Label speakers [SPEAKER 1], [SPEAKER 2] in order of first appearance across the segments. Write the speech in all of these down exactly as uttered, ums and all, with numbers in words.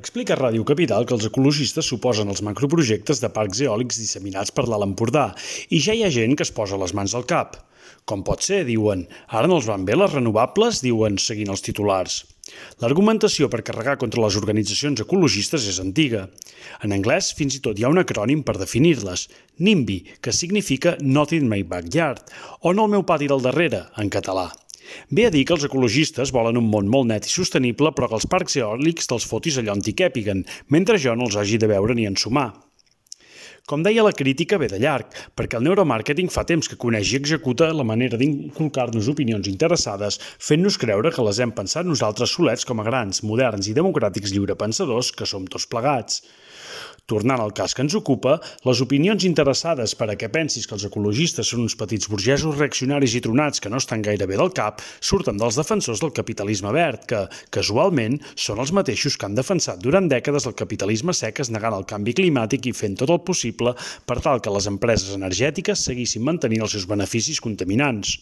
[SPEAKER 1] Explica a Ràdio Capital que els ecologistes s'oposen als macroprojectes de parcs eòlics disseminats per l'Alt Empordà i ja hi ha gent que es posa les mans al cap. Com pot ser, diuen. Ara no els van bé les renovables, diuen, seguint els titulars. L'argumentació per carregar contra les organitzacions ecologistes és antiga. En anglès fins i tot hi ha un acrònim per definir-les, NIMBY, que significa Not in my backyard, o No al meu pati del darrere, en català. Ve a dir que els ecologistes volen un món molt net i sostenible, però que els parcs eòlics te'ls fotis allà on t'hi càpiguen, mentre jo no els hagi de veure ni ensumar. Com deia, la crítica ve de llarg, perquè el neuromàrqueting fa temps que coneix i executa la manera d'inculcar-nos opinions interessades, fent-nos creure que les hem pensat nosaltres solets com a grans, moderns i democràtics lliurepensadors que som tots plegats. Tornant al cas que ens ocupa, les opinions interessades per a què pensis que els ecologistes són uns petits burgesos reaccionaris i tronats que no estan gaire bé del cap surten dels defensors del capitalisme verd, que, casualment, són els mateixos que han defensat durant dècades el capitalisme sec negant el canvi climàtic i fent tot el possible per tal que les empreses energètiques seguissin mantenint els seus beneficis contaminants.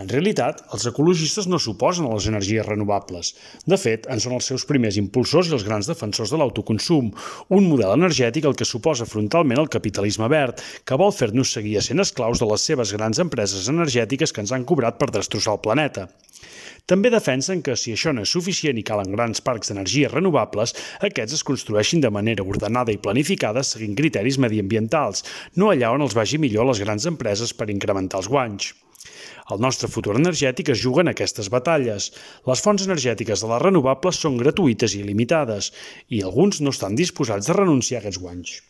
[SPEAKER 1] En realitat, els ecologistes no s'oposen a les energies renovables. De fet, en són els seus primers impulsors i els grans defensors de l'autoconsum, un model energètic al que s'oposa frontalment el capitalisme verd, que vol fer-nos seguir essent esclaus de les seves grans empreses energètiques que ens han cobrat per destrossar el planeta. També defensen que, si això no és suficient i calen grans parcs d'energies renovables, aquests es construeixin de manera ordenada i planificada seguint criteris mediambientals, no allà on els vagi millor a les grans empreses per incrementar els guanys. El nostre futur energètic es juga en aquestes batalles. Les fonts energètiques de les renovables són gratuïtes i il·limitades, i alguns no estan disposats a renunciar a aquests guanys.